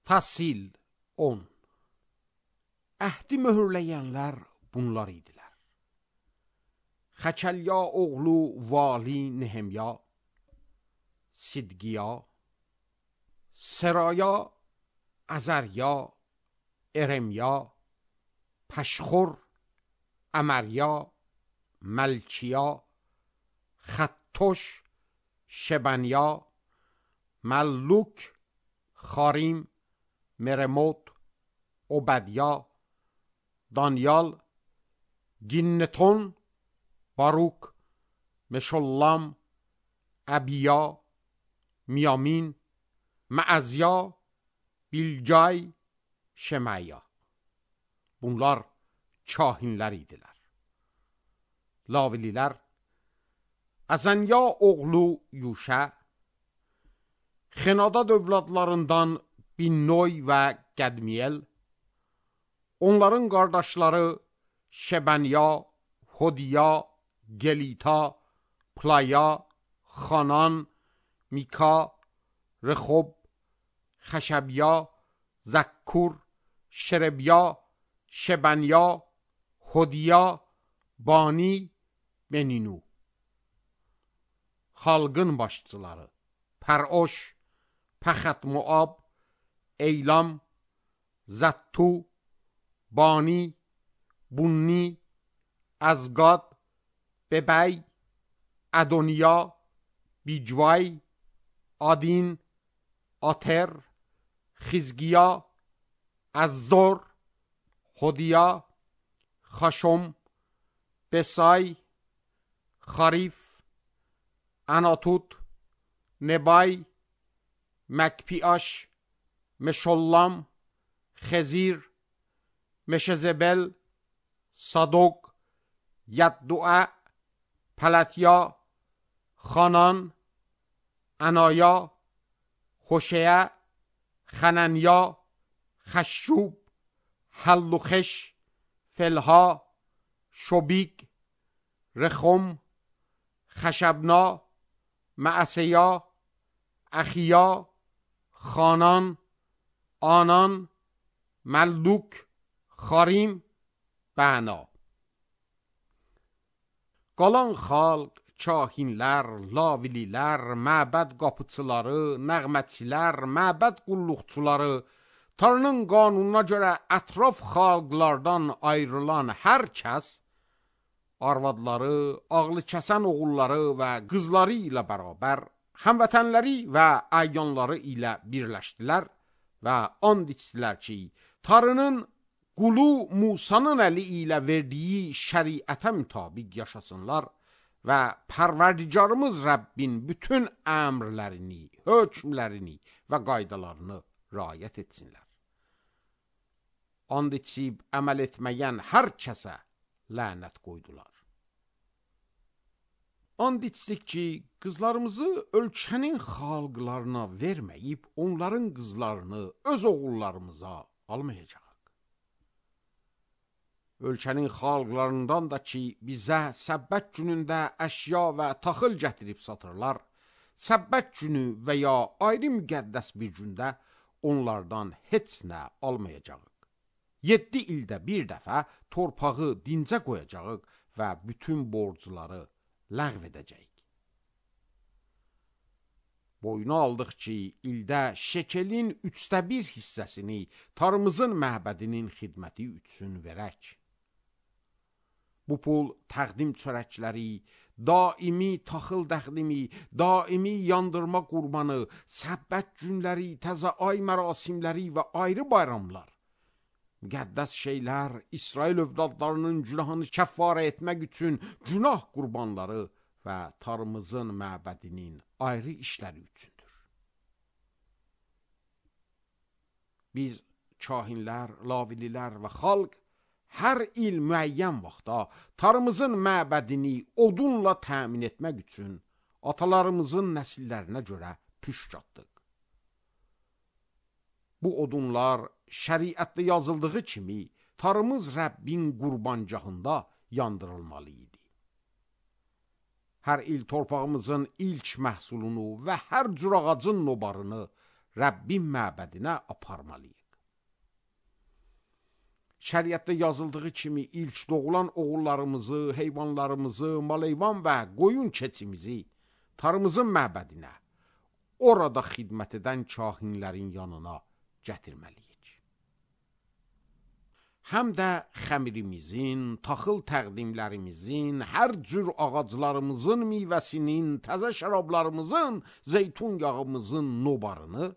Tasil 10. Əhdi möhürləyənlər bunlar idilər. Xəkəlya oğlu Vali Nehemya, Sidqiya, Seraya, Azarya, Eremya, Pəşxur, Əmərya, Məlkiya, Xəttoş, Şebanya, Məlluk, Xarim, Meremot, Obədya, Danyal, Ginnetun, Baruk, Meşollam, Əbiya, Miyamin, Məəzya, Bilcay, Şemaya. Bunlar kahinlər idilər. Lavililər, Əzənya oğlu Yuşə, Xenadad övladlarından Binnoy və Qədmiyel, onların qardaşları Şebanya, Hodiya, Gelita, Playa, Xanan, Mika, Rexob, Xəşəbya, Zəkkur, Şerebya, Şebanya, Hodiya, Bani, Beninu. Xalqın başçıları Pəroş, Pəxət Moab, Eylam, Zəttu, Bani, Bunni, Əzqad, Bebəy, Ədoniya, Bicvay, Adin, Atər, Xizgiya, Əzzor, Hodiya, Xaşom, Besay, Xarif, Anatut, Nebay, Məkpiaş, Meşollam, Xezir, Meşezebel, Sadok, Yəddua, Pələtya, Xanan, Anaya, Xoşeyə, Xənənya, Xəşşub, Həlluxeş, Felha, Şobik, Rexom, Xəşəbna, Məəsəya, Əxiya, Xanan, Anan, Məlluk, Xarim, Bəna. Qalan xalq, kahinlər, lavililər, məbəd qapıçıları, nəğmətçilər, məbəd qulluqçuları, Tanrının qanununa görə ətraf xalqlardan ayrılan hər kəs, arvadları, ağlı kəsən oğulları və qızları ilə bərabər, həmvətənləri və əyyanları ilə birləşdilər və and içdilər ki, Tanrının qulu Musanın əli ilə verdiyi şəriətə mütabiq yaşasınlar və Pərverdigarımız Rəbbin bütün əmrlərini, hökmlərini və qaydalarını riayət etsinlər. And içib əməl etməyən hər kəsə lənət qoydular. And içdik ki, qızlarımızı ölkənin xalqlarına verməyib, onların qızlarını öz oğullarımıza almayacaq. Ölkənin xalqlarından da ki, bizə səbbət günündə əşya və taxıl gətirib satırlar, səbbət günü və ya ayrı müqəddəs bir gündə onlardan heç nə almayacaq. 7 ildə bir dəfə torpağı dincə qoyacaq və bütün borcları ləğv edəcək. Boyuna aldıq ki, ildə şekelin 1/3 hissəsini Tanrımızın məbədinin xidməti üçün verək. Bu pul təqdim çörəkləri, daimi taxıl təqdimi, daimi yandırma qurbanı, səbbət günləri, təzə ay mərasimləri və ayrı bayramlar, müqəddəs şeylər, İsrail övladlarının günahını kəffarə etmək üçün günah qurbanları və Tanrımızın məbədinin ayrı işləri üçündür. Biz kahinlər, lavililər və xalq hər il müəyyən vaxtda Tanrımızın məbədini odunla təmin etmək üçün atalarımızın nəsillərinə görə püşk atdıq. Bu odunlar şəriətdə yazıldığı kimi Tanrımız Rəbbin qurbancağında yandırılmalı idi. Hər il torpağımızın ilk məhsulunu və hər cür ağacın nobarını Rəbbin məbədinə aparmalıyıq. Şəriətdə yazıldığı kimi ilk doğulan oğullarımızı, heyvanlarımızı, mal-heyvan və qoyun keçimizi tarımızın məbədinə, orada xidmət edən kahinlərin yanına gətirməliyik. Həm də xəmirimizin, taxıl təqdimlərimizin, hər cür ağaclarımızın meyvəsinin, təzə şərablarımızın, zeytun yağımızın nobarını,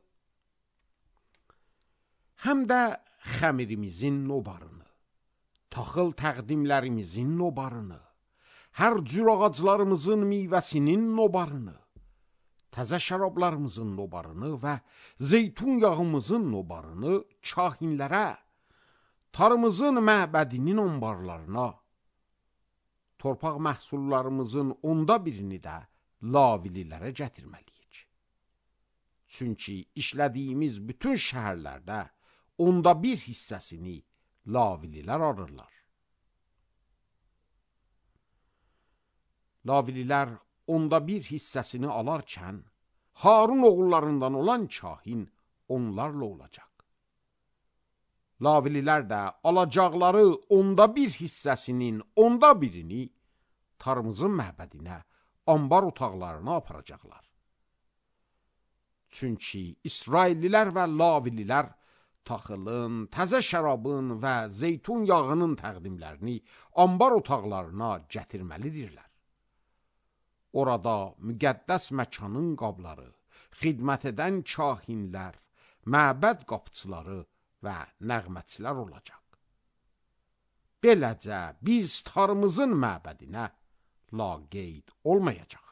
həm də xəmirimizin nobarını, taxıl təqdimlərimizin nobarını, hər cür ağaclarımızın meyvəsinin nobarını, təzə şərablarımızın nobarını və zeytun yağımızın nobarını kahinlərə, tarımızın məbədinin onbarlarına, torpaq məhsullarımızın 1/10 də lavililərə gətirməliyik. Çünki işlədiyimiz bütün şəhərlərdə 1/10 hissəsini lavililər alırlar. Lavililər 1/10 hissəsini alarkən, Harun oğullarından olan kahin onlarla olacaq. Lavililər də alacaqları 1/10 hissəsinin 1/10 tarımızın məbədinə, ambar otaqlarına aparacaqlar. Çünki İsraillilər və lavililər taxılın, təzə şərabın və zeytun yağının təqdimlərini ambar otaqlarına gətirməlidirlər. Orada müqəddəs məkanın qabları, xidmət edən kahinlər, məbəd qapıçıları və nəğmətçilər olacaq. Beləcə biz tarımızın məbədinə laqeyd olmayacaq.